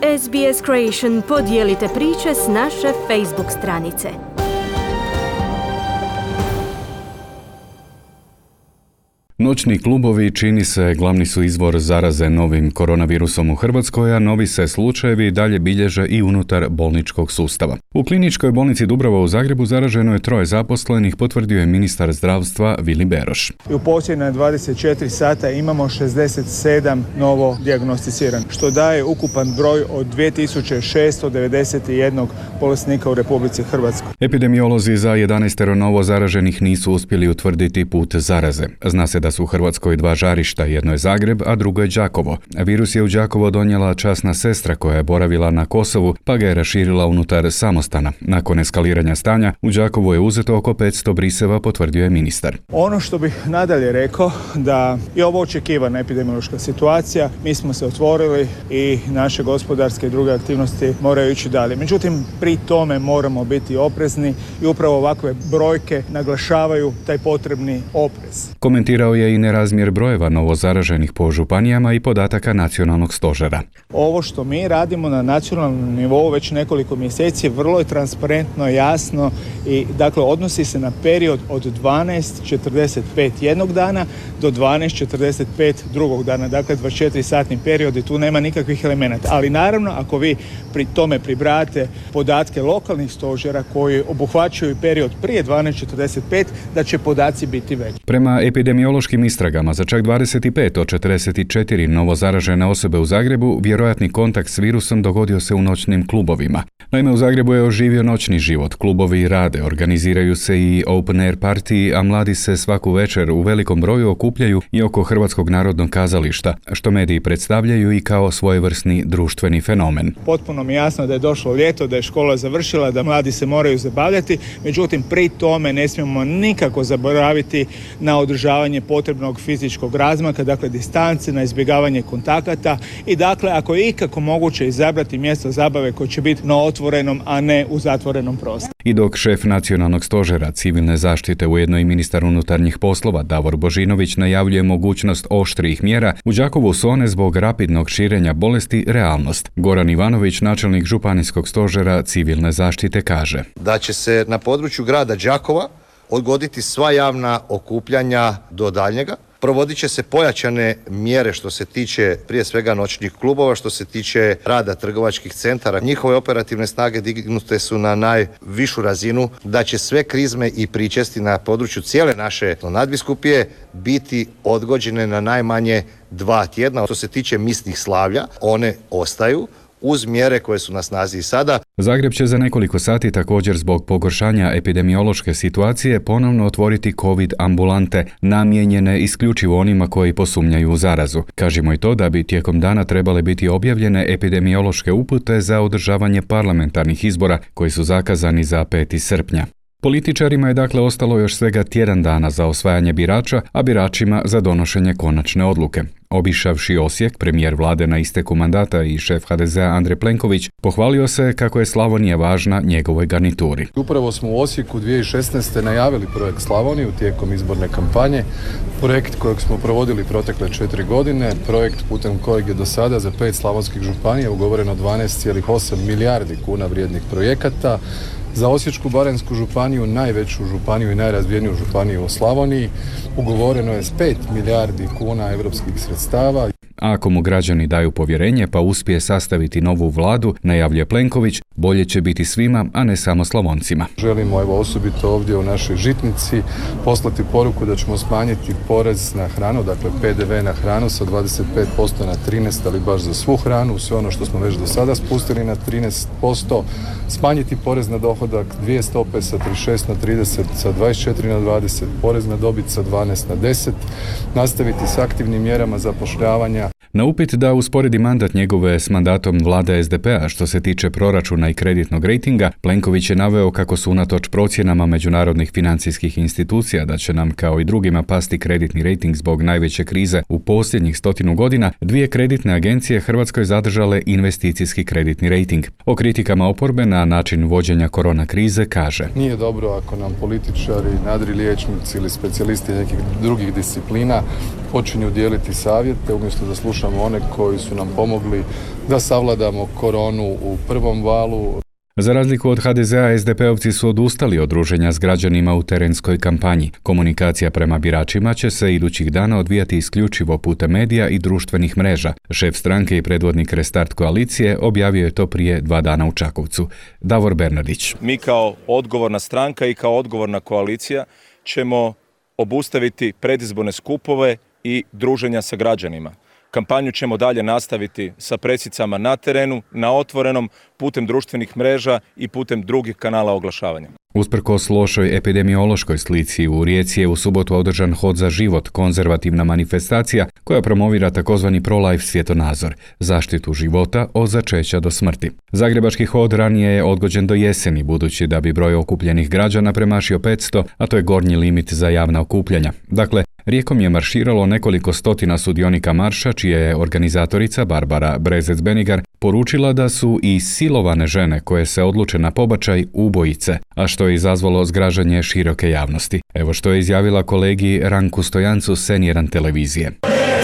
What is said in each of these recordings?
SBS Creation podijelite priče s naše Facebook stranice. Noćni klubovi čini se glavni su izvor zaraze novim koronavirusom u Hrvatskoj, a novi se slučajevi dalje bilježe i unutar bolničkog sustava. U kliničkoj bolnici Dubrava u Zagrebu zaraženo je 3 zaposlenih, potvrdio je ministar zdravstva Vili Beroš. U posljednje 24 sata imamo 67 novo dijagnosticiranih, što daje ukupan broj od 2691 bolesnika u Republici Hrvatskoj. Epidemiolozi za 11 novo zaraženih nisu uspjeli utvrditi put zaraze. Zna se da su u Hrvatskoj 2 žarišta, jedno je Zagreb, a drugo je Đakovo. Virus je u Đakovo donijela časna sestra koja je boravila na Kosovu, pa ga je raširila unutar samostana. Nakon eskaliranja stanja, u Đakovu je uzeto oko 500 briseva, potvrdio je ministar. Ono što bih nadalje rekao, da je ovo očekivana epidemiološka situacija, mi smo se otvorili i naše gospodarske i druge aktivnosti moraju ići dalje. Međutim, pri tome moramo biti oprezni i upravo ovakve brojke naglašavaju taj potrebni oprez. Komentirao je i nerazmjer brojeva novozaraženih po županijama i podataka nacionalnog stožera. Ovo što mi radimo na nacionalnom nivou već nekoliko mjeseci vrlo je transparentno, jasno i dakle odnosi se na period od 12:45 jednog dana do 12:45 drugog dana, dakle 24-satni period i tu nema nikakvih elemenata. Ali naravno ako vi pri tome pribrajate podatke lokalnih stožera koji obuhvaćaju period prije 12:45, da će podaci biti veći. Prema epidemiološkim istragama za čak 25 od 44 novozaražene osobe u Zagrebu vjerojatni kontakt s virusom dogodio se u noćnim klubovima. Naime, u Zagrebu je oživio noćni život, klubovi rade, organiziraju se i open air partiji, a mladi se svaku večer u velikom broju okupljaju i oko Hrvatskog narodnog kazališta, što mediji predstavljaju i kao svojevrsni društveni fenomen. Potpuno mi je jasno da je došlo ljeto, da je škola završila, da mladi se moraju zabavljati, međutim pri tome ne smijemo nikako zaboraviti na održavanje potrebnog fizičkog razmaka, dakle distance, na izbjegavanje kontakata i dakle ako je ikako moguće izabrati mjesto zabave koje će biti na otvorenom, a ne u zatvorenom prostoru. I dok šef nacionalnog stožera civilne zaštite, ujedno i ministar unutarnjih poslova Davor Božinović najavljuje mogućnost oštrijih mjera, u Đakovu su one zbog rapidnog širenja bolesti realnost. Goran Ivanović, načelnik županijskog stožera civilne zaštite, kaže da će se na području grada Đakova odgoditi sva javna okupljanja do daljnjega. Provodit će se pojačane mjere što se tiče prije svega noćnih klubova, što se tiče rada trgovačkih centara. Njihove operativne snage dignute su na najvišu razinu, da će sve krizme i pričesti na području cijele naše nadbiskupije biti odgođene na najmanje 2 tjedna. Što se tiče misnih slavlja, one ostaju uz mjere koje su na snazi i sada. Zagreb će za nekoliko sati također zbog pogoršanja epidemiološke situacije ponovno otvoriti COVID ambulante, namijenjene isključivo onima koji posumnjaju u zarazu. Kažemo i to da bi tijekom dana trebale biti objavljene epidemiološke upute za održavanje parlamentarnih izbora koji su zakazani za 5. srpnja. Političarima je dakle ostalo još svega tjedan dana za osvajanje birača, a biračima za donošenje konačne odluke. Obišavši Osijek, premijer vlade na isteku mandata i šef HDZ-a Andrej Plenković pohvalio se kako je Slavonija važna njegovoj garnituri. Upravo smo u Osijeku 2016. najavili projekt Slavoniju tijekom izborne kampanje, projekt kojeg smo provodili protekle 4 godine, projekt putem kojeg je do sada za 5 slavonskih županija ugovoreno 12,8 milijardi kuna vrijednih projekata. Za Osječko-baranjsku županiju, najveću županiju i najrazvijeniju županiju u Slavoniji, ugovoreno je s 5 milijardi kuna europskih sredstava. A ako mu građani daju povjerenje pa uspije sastaviti novu vladu, najavljuje Plenković, bolje će biti svima, a ne samo Slavoncima. Želimo osobito ovdje u našoj žitnici poslati poruku da ćemo smanjiti porez na hranu, dakle PDV na hranu sa 25% na 13%, ali baš za svu hranu, sve ono što smo već do sada spustili na 13%, smanjiti porez na dohodak 2 stope sa 36 na 30, sa 24 na 20, porez na dobit sa 12 na 10, nastaviti s aktivnim mjerama zapošljavanja. Na upit da usporedi mandat njegove s mandatom vlade SDP-a što se tiče proračuna i kreditnog rejtinga, Plenković je naveo kako su unatoč procjenama međunarodnih financijskih institucija da će nam kao i drugima pasti kreditni rejting zbog najveće krize u posljednjih 100 godina, 2 kreditne agencije Hrvatskoj zadržale investicijski kreditni rejting. O kritikama oporbe na način vođenja korona krize kaže: nije dobro ako nam političari, nadri liječnici ili specijalisti nekih drugih disciplina počinju dijeliti savjete umjesto da slušamo slušamo one koji su nam pomogli da savladamo koronu u prvom valu. Za razliku od HDZ-a, SDP-ovci su odustali od druženja s građanima u terenskoj kampanji. Komunikacija prema biračima će se idućih dana odvijati isključivo putem medija i društvenih mreža. Šef stranke i predvodnik Restart koalicije objavio je to prije 2 dana u Čakovcu. Davor Bernardić. Mi kao odgovorna stranka i kao odgovorna koalicija ćemo obustaviti predizborne skupove i druženja sa građanima. Kampanju ćemo dalje nastaviti sa presicama na terenu, na otvorenom, putem društvenih mreža i putem drugih kanala oglašavanja. Usprkos lošoj epidemiološkoj slici, u Rijeci je u subotu održan Hod za život, konzervativna manifestacija koja promovira takozvani pro-life svjetonazor, zaštitu života od začeća do smrti. Zagrebački hod ranije je odgođen do jeseni, budući da bi broj okupljenih građana premašio 500, a to je gornji limit za javna okupljanja. Dakle, Rijekom je marširalo nekoliko stotina sudionika marša, čija je organizatorica Barbara Brezec-Benigar poručila da su i silovane žene koje se odluče na pobačaj ubojice, a što je izazvalo zgražanje široke javnosti. Evo što je izjavila kolegi Ranku Stojancu s N1 televizije.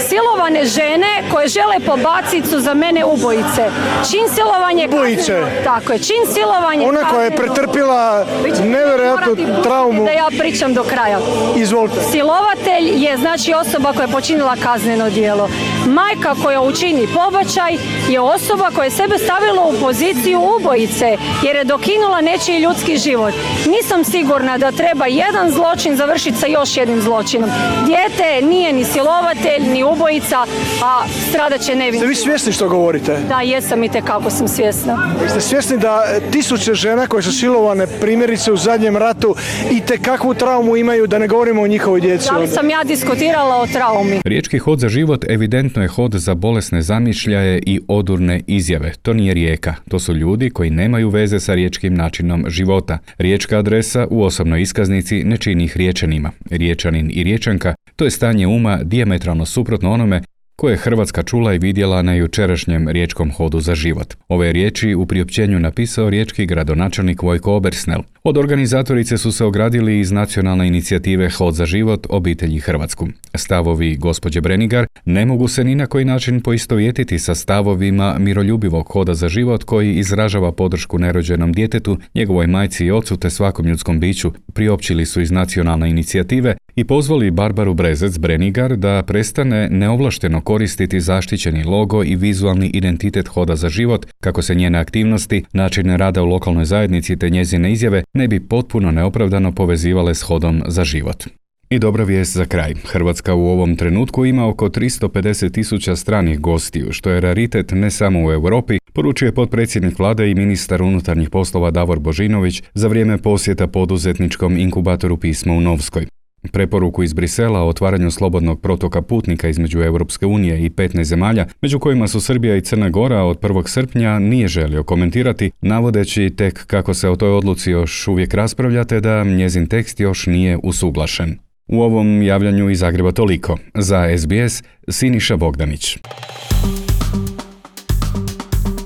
Silovane žene koje žele pobaciti su za mene ubojice. Čin silovanje... Ubojice. Tako je, čin silovanje... Ona koja je pretrpila nevjerojatnu traumu. Da ja pričam do kraja. Izvolite. Silovatelj je znači osoba koja je počinila kazneno djelo. Majka koja učini pobačaj je osoba koja je sebe stavila u poziciju ubojice jer je dokinula nečiji ljudski život. Nisam sigurna da treba jedan zločin završiti sa još jednim zločinom. Dijete nije ni silovatelj, ni ubojica, a stradat će nevin. Ste vi svjesni što govorite? Da, jesam, itekako sam svjesna. Ste svjesni da tisuće žena koje su silovane, primjerice u zadnjem ratu, itekakvu traumu imaju, da ne govorimo o njihovoj djeci? Da li sam ja diskutirala o traumi? Riječki hod za život evidentno je hod za bolesne zamišljaje i odurne izjave. To nije Rijeka. To su ljudi koji nemaju veze sa riječkim načinom života. Riječka adresa u osobnoj iskaznici ne čini ih Riječanima. Riječanin i Riječanka, to je stanje uma dijametralno suprotno onome koje je Hrvatska čula i vidjela na jučerašnjem riječkom hodu za život. Ove riječi u priopćenju napisao riječki gradonačelnik Vojko Obersnel. Od organizatorice su se ogradili iz nacionalne inicijative Hod za život obitelji Hrvatsku. Stavovi gospođe Brenigar ne mogu se ni na koji način poistovjetiti sa stavovima miroljubivog hoda za život koji izražava podršku nerođenom djetetu, njegovoj majci i ocu te svakom ljudskom biću, priopćili su iz nacionalne inicijative i pozvali Barbaru Brezec-Brenigar da prestane neovlašteno koristiti zaštićeni logo i vizualni identitet Hoda za život, kako se njene aktivnosti, način rada u lokalnoj zajednici te njezine izjave ne bi potpuno neopravdano povezivale s Hodom za život. I dobra vijest za kraj. Hrvatska u ovom trenutku ima oko 350.000 stranih gostiju, što je raritet ne samo u Europi, poručuje potpredsjednik vlade i ministar unutarnjih poslova Davor Božinović za vrijeme posjeta poduzetničkom inkubatoru Pismo u Novskoj. Preporuku iz Brisela o otvaranju slobodnog protoka putnika između Europske unije i 15 zemalja, među kojima su Srbija i Crna Gora, od 1. srpnja nije želio komentirati, navodeći tek kako se o toj odluci još uvijek raspravlja te da njezin tekst još nije usuglašen. U ovom javljanju iz Zagreba toliko. Za SBS, Siniša Bogdanić.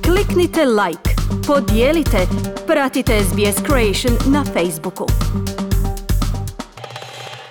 Kliknite like, podijelite, pratite SBS Creation na Facebooku.